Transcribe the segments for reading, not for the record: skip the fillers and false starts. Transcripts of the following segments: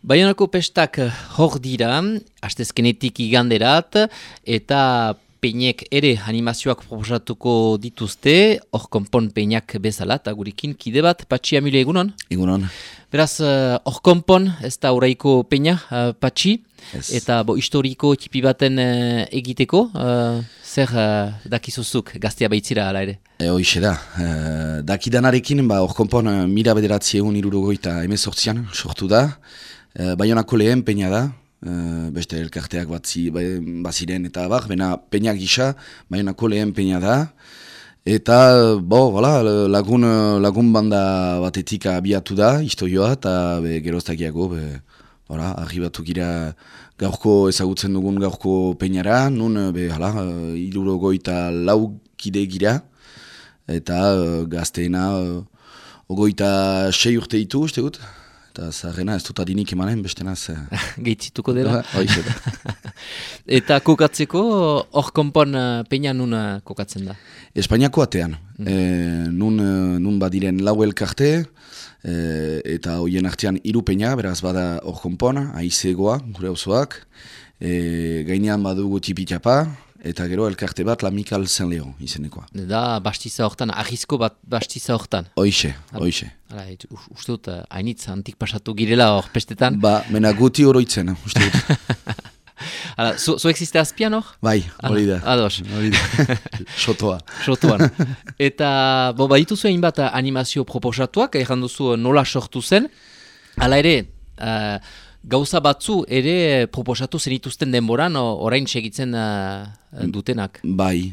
Baionako pestak hor dira, astezkenetik iganderat, eta peinek ere animazioak proposatuko dituzte, hor konpon peinak bezala, eta gurekin kide bat, Patxi Amile, egunon? Egunon. Beraz, hor konpon, ez da oraiko peina, Patxi, eta historiko tipi baten egiteko, zer dakizuzuk gaztea baitzira ala ere? Hoixe da. Dakidanarekin, hor konpon 1978an sortu da. Baionako lehen peina da. Beste elkarteak baziren eta bena peina gisa, Baionako lehen peina da. Eta, lagun banda batetik abiatu da, historioa, eta geroztakiago, arribatu gira gaurko ezagutzen dugun gaurko peinara, nun, 74 kide gira, eta gazteena 26 urte ditu, uste gut. Eta zaharrena ez dut adinik emanen, bestenaz... Geitzituko dela? Hoixe da. Eta kokatzeko, hor konpon peina nun kokatzen da? Espainiako atean. Nun badiren lau elkarte, eta hoien artean 3 peina, beraz bada hor konpon, aizegoa, gure auzoak, gainean badugu tipitapa, eta gero elkarte bat Lamikal Zen Leo izenekoa. Da, bastiza hortan, ahizko bat bastiza hortan. Hoixe. Uste dut, hainitz antik pasatu girela hor pestetan. Mena guti oroitzen, uste dut. Zo existe azpian hor? Bai, hori da. Ados. Sotoa. Sotoan. Eta, baditu zuen bat animazio proposatuak, erran duzu nola sortu zen. Hala ere, gauza batzu ere proposatu zenituzten denboran, orain segitzen dutenak. Bai.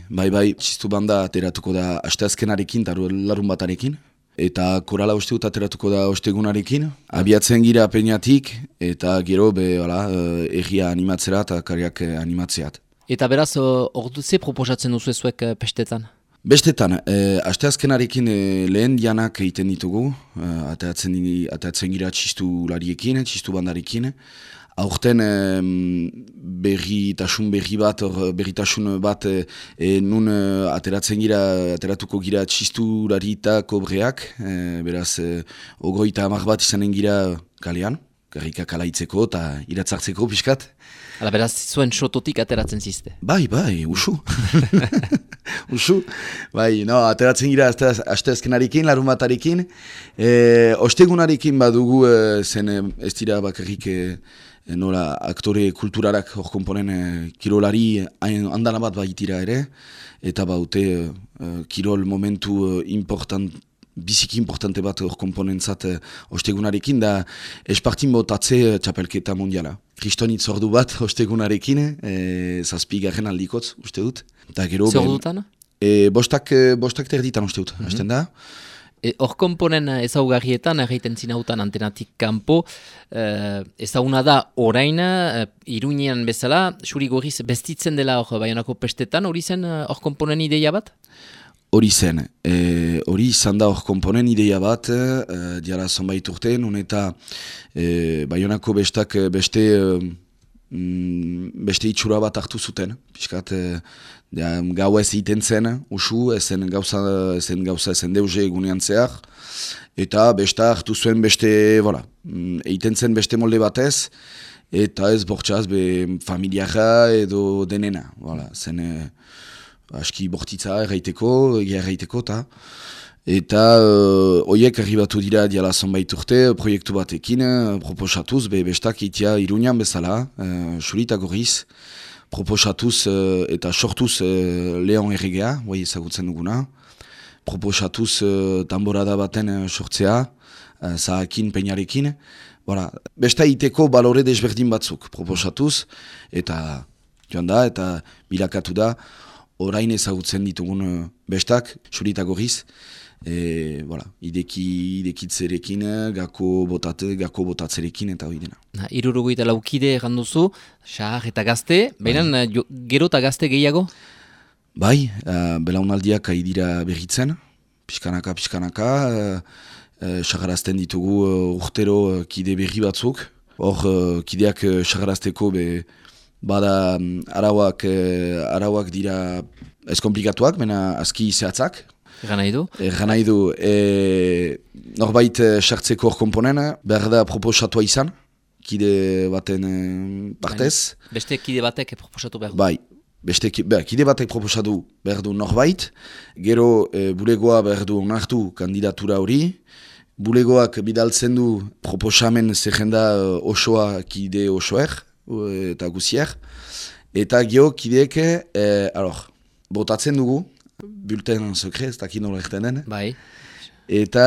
Txistu banda ateratuko da asteazkenarekin, larun batarekin. Eta korala uste dut ateratuko da ostegunarekin. Abiatzen gira peinatik, eta gero erria animatzera eta kariak animatzeat. Eta beraz, ordu ze proposatzen duzu ezuek pestetan? Bestetan, asteazkenarekin lehen dianak egiten ditugu, ateratzen gira txistu lariekin, txistu bandarekin. Aurten berritasun bat nun ateratuko gira txistu larita kobreak, beraz 30 bat izanen gira kalean, garrika kalaitzeko eta iratzartzeko pixkat. Hala, beraz, zuen sototik ateratzen zizte? Bai, usu. Usu. Bai, ateratzen gira asteazkenarekin, larun batarekin. Ostegunarekin badugu zen ez dira bakarrik nola aktore kulturalak hor komponen kirolari andana bat baitira ere. Eta baute kirol momentu biziki importante bat hor komponentzat ostegunarekin da espartin botatze txapelketa mondiala. Kristonitz ordu bat ostegunarekin, 7. aldikotz, uste dut. Zer ordutan? Bostak terditan uste dut, hasten da. Hor komponen ezaugarrietan, erraiten zinautan antenatik kanpo, ezaguna da orain, Iruñean bezala, xuri gorriz bestitzen dela hor Baionako pestetan, hori zen hor komponen ideia bat? Hori zen, hori izan da hor komponen ideia bat, diara zonbait urte, nun eta Baionako bestak beste itxura bat hartu zuten, piskat, gau ez egiten zen, usu, ezen deuze egunean zehar, eta besta hartu zuen beste, egiten zen beste molde batez, eta ez bortxaz, familiara edo denena, zen aski bortitza erraiteko, eta horiek arribatu dira diala zonbait urte, proiektu batekin, proposatuz, bestak itia Iruñan bezala, xurita gorriz, proposatuz eta sortuz Leon erregea, ezagutzen duguna, proposatuz tamborada baten sortzea, zahakin peinarekin, besta iteko balore desberdin batzuk proposatuz, eta joan da, eta bilakatu da, orain ezagutzen ditugun bestak, xurita gorriz, idekitzerekin, gako botatzerekin eta hori dena. 74 kide erranduzu, xahar eta gazte, baina gero eta gazte gehiago? Bai, belaunaldiak dira berritzen, pixkanaka, xagarazten ditugu urtero kide berri batzuk. Hor, kideak xagarazteko bada arauak dira ez komplikatuak, mena aski zehatzak. Egan nahi du, norbait sartzeko hor komponen, behar da proposatua izan, kide baten partez. Beste kide batek proposatu behar du. Bai, kide batek proposatu behar du norbait, gero bulegoa behar du onartu kandidatura hori, bulegoak bidaltzen du proposamen zerrenda osoa kide osoer eta guzier, eta gero kideek, botatzen dugu, bulten sekre, ez dakit nola erten den. Bai. Eta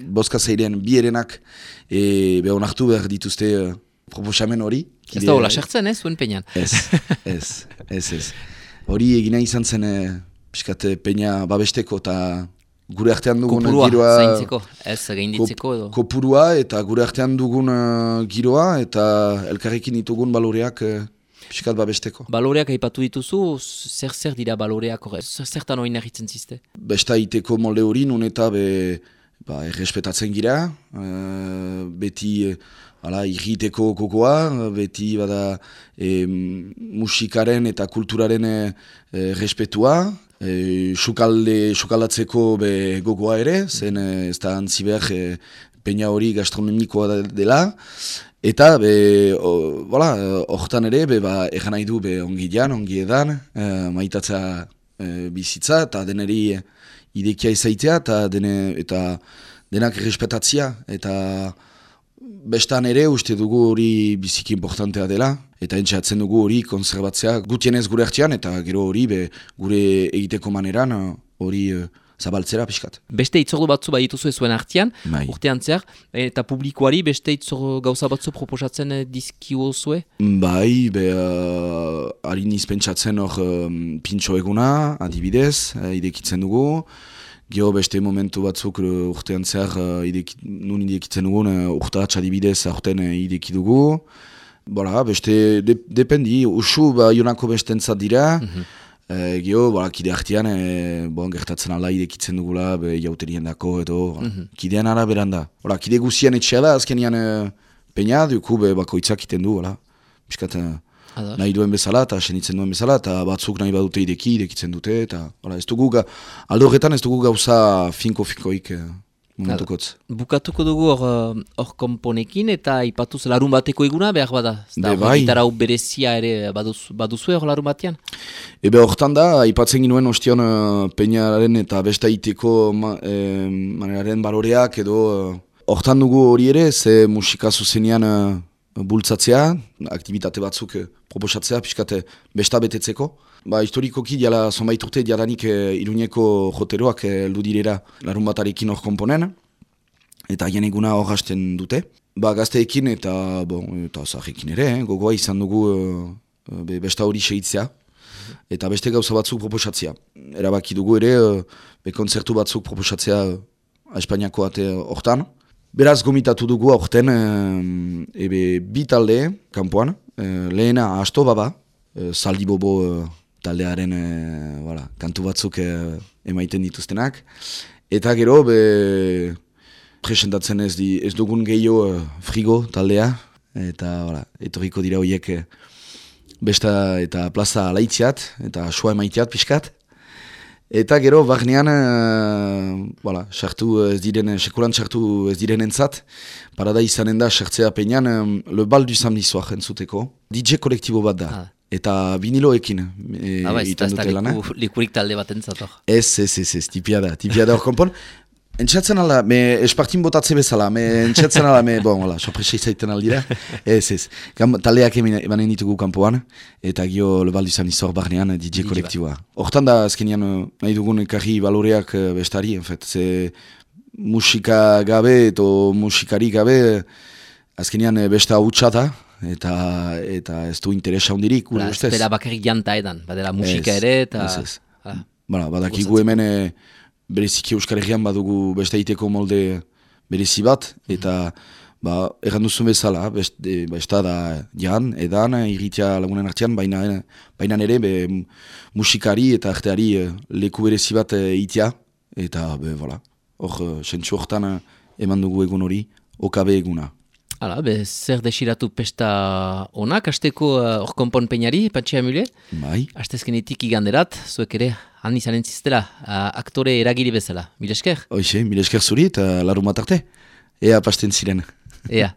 bozka zeiren bi erenak onartu behar dituzte proposamen hori. Ez da hola sartzen, zuen peñan. Ez. Hori egina izan zen piskat peña babesteko eta gure artean dugun kopurua, giroa... zaintzeko, ez gainditzeko edo. Kopurua eta gure artean dugun giroa eta elkarrekin ditugun baloreak piskat babesteko. Baloreak aipatu dituzu, zer dira baloreak horre? Zertan hori nahitzen ziste? Besta iteko molde hori nun eta errespetatzen gira, beti irriteko kokoa, beti bada musikaren eta kulturaren respetua, sukaldatzeko gogoa ere, zen ez da antzi behar peña hori gastronomikoa dela, eta hortan ere, egan nahi du ongi edan, maitatza bizitza, eta deneri idekia izaitea, eta denak respetatzia, eta bestan ere uste dugu hori biziki importantea dela, eta entxatzen dugu hori konserbatzea gutienez gure artean, eta gero hori gure egiteko maneran hori zabaltzera pixkat. Beste itzordu batzu badituzu zuen artean, bai. Urtean zer, eta publikoari beste itzordu gauza batzu proposatzen dizkiu zue? Bai, harin izpentsatzen hor pintxo eguna, adibidez, idekitzen dugu. Gero beste momentu batzuk urtean zer nun idekitzen dugun, urtaratx adibidez aurten ideki dugu. Beste dependi, usu jonako bestentzat dira. Gero, kide artean, gertatzen ala idekitzen dugula, jauterien dako edo, kidean araberan da. Kide guzien etxea da, azkenian peña, duku bakoitzak iten du, piskat nahi duen bezala, eta senitzen duen bezala, eta batzuk nahi badute idekitzen dute, eta ez dugu, aldo horretan ez dugu gauza finko-finkoik momentukotz. Bukatuko dugu hor komponekin, eta ipatuz larun bateko eguna behar bada? Bai. Gitarra berezia ere baduzue hor larun batean? Hortan da, ipatzen ginuen ostion peñaren eta besta iteko maneraren baloreak edo hortan dugu hori ere, ze musika zuzenean bultzatzea, aktibitate batzuk proposatzea, pixkate besta betetzeko. Historikoki diala zonbait urte diadanik Iruñeko joteroak ludirera larun batarekin hor komponen, eta hien eguna hor hasten dute. Gazteekin eta zahekin ere, gogoa izan dugu besta hori segitzea, eta beste gauza batzuk proposatzea. Erabaki dugu ere, kontzertu batzuk proposatzea Espainiako ate hortan. Beraz gomitatu dugu aurten bi talde kanpoan, lehena Asto Baba, Zaldi Bobo taldearen kantu batzuk emaiten dituztenak, eta gero presentatzen ez dugun gehiago Frigo taldea, eta etorriko dira horiek besta eta plaza alaitziat, eta soa emaiteat pixkat. Eta gero, barnean, sekulan sartu ez diren entzat, parada izanen da sartzea peñan, Le Bal du Samedi Soir entzuteko. DJ kolektibo bat da, eta viniloekin iten dute lana. Likurik talde bat entzat hor. Ez, tipia da hor konpon. Entxatzen ala, espartin botatze bezala, entxatzen ala, sorpresa izaiten aldira. Ez. Taldeak emanen ditugu kanpoan, eta gio Le Bal du Samedi Soir barnean DJ kolektiboa. Hortan da, azkenean, nahi dugun ekarri baloreak bestari, ze musika gabe edo musikari gabe, azkenean besta hutsa eta ez du interesa hundirik, gure ustez. Ez dela bakarrik janta edan, badela musika ere, eta... Ez. Badakigu hemen... Bereziki Euskal Herrian badugu beste iteko molde berezi bat, eta erran duzun bezala, besta da edan, irritia lagunen artean, baina ere musikari eta arteari leku berezi bat itia, eta hor sentsu hortan eman dugu egun hori, okabe eguna. Zer desiratu pesta onak, hasteko hor konpon peñari, Patxi Amule? Bai. Hastezkenetik iganderat, zuek ere, han izanen ziztela, aktore eragiri bezala. Mil esker? Mil esker zuri eta larun bat arte. Ea pasten ziren. Ea.